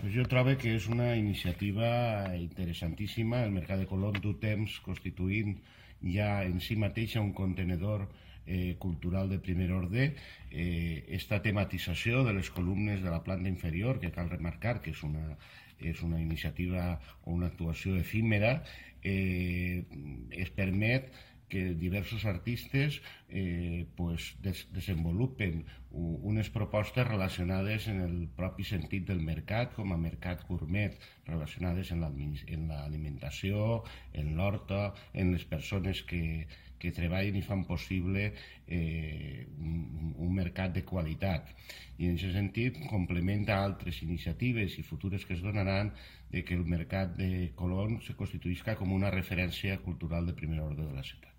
Pues jo trobo que és una iniciativa interessantíssima. El Mercat de Colón du temps constituint ja en si mateixa un contenedor cultural de primer ordre. Esta tematització de les columnes de la planta inferior, que cal remarcar que és una iniciativa o una actuació efímera, es permet que diversos artistes desenvolupen unes propostes relacionades en el propi sentit del mercat, com a mercat gourmet, relacionades en l'alimentació, en l'horta, en les persones que treballen i fan possible un mercat de qualitat. I en aquest sentit complementa altres iniciatives i futures que es donaran de que el Mercat de Colón se constituïsca com una referència cultural de primer ordre de la ciutat.